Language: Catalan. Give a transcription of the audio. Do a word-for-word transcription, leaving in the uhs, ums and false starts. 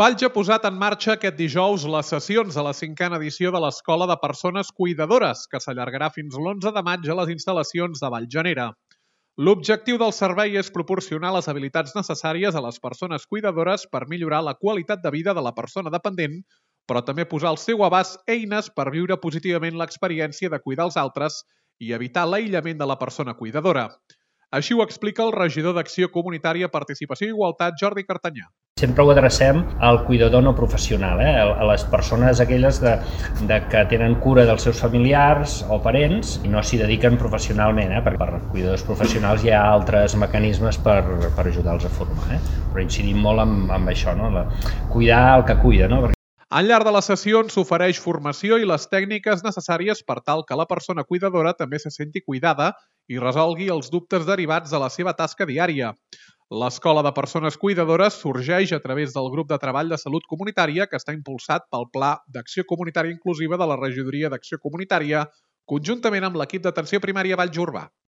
Valls ha posat en marxa aquest dijous les sessions a la cinquena edició de l'Escola de Persones Cuidadores, que s'allargarà fins l'onze de maig a les instal·lacions de Vallgenera. L'objectiu del servei és proporcionar les habilitats necessàries a les persones cuidadores per millorar la qualitat de vida de la persona dependent, però també posar al seu abast eines per viure positivament l'experiència de cuidar els altres i evitar l'aïllament de la persona cuidadora. Així ho explica el regidor d'Acció Comunitària, Participació i Igualtat, Jordi Cartanyà. Sempre ho adrecem al cuidador no professional, eh? a les persones aquelles de, de que tenen cura dels seus familiars o parents i no s'hi dediquen professionalment, eh? perquè per cuidadors professionals hi ha altres mecanismes per, per ajudar-los a formar, eh? però incidim molt en, en això, no? La, cuidar el que cuida. No? Perquè... Al llarg de les sessions s'ofereix formació i les tècniques necessàries per tal que la persona cuidadora també se senti cuidada i resolgui els dubtes derivats de la seva tasca diària. L'Escola de Persones Cuidadores sorgeix a través del grup de treball de salut comunitària que està impulsat pel Pla d'Acció Comunitària Inclusiva de la Regidoria d'Acció Comunitària, conjuntament amb l'equip d'atenció primària Valls Urbà.